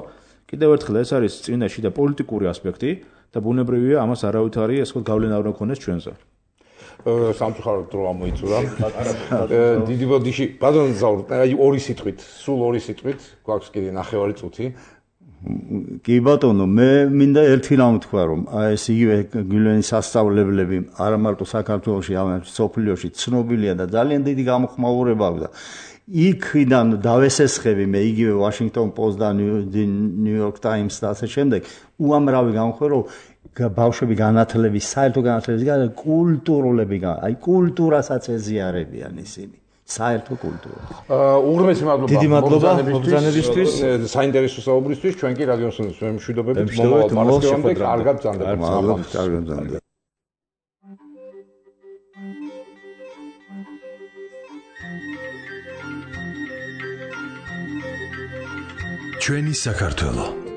კიდევ ერთხელ ეს არის წინაშე და პოლიტიკური ასპექტი და ბუნებრივია ამას არავითარი ასე ვთქვათ გავლენა არ ქონდეს ჩვენზე. სამწუხაროდ დრო ამოიწურა. დიდი ბოდიში, ბატონო ზაურ, აი ორი სიტყვით, სულ ორი სიტყვით, გვაქვს კიდე ნახევარი წუთი. კი ბატონო, მე მინდა ერთი რამ თქვა, რომ აი ეს იგივე გულენის სასწავლებლები არა მარტო საქართველოში, არამედ სოფლიოში ცნობილია და ძალიან დიდი გამოხმაურება აქვს და იქიდან დავესესხები მე იგივე Washington Post და New York Times და ასე შემდეგ, უამრავი გამოვხმე, რომ ბავშვები განათლების, საერთო განათლების გარდა კულტურულები, აი კულტურასაც ეზიარებიან ისინი. საერთო კულტურა. უღრმესი მადლობა. დიდი მადლობა მოგზაურობისთვის, საინტერესო საუბრისთვის. ჩვენ კი რადიოსნის მშვიდობებით მომავალ პარასკევამდე კარგად ბრძანდებოდეთ. მადლობა, კარგად ბრძანდებოდეთ. ჩვენი საქართველო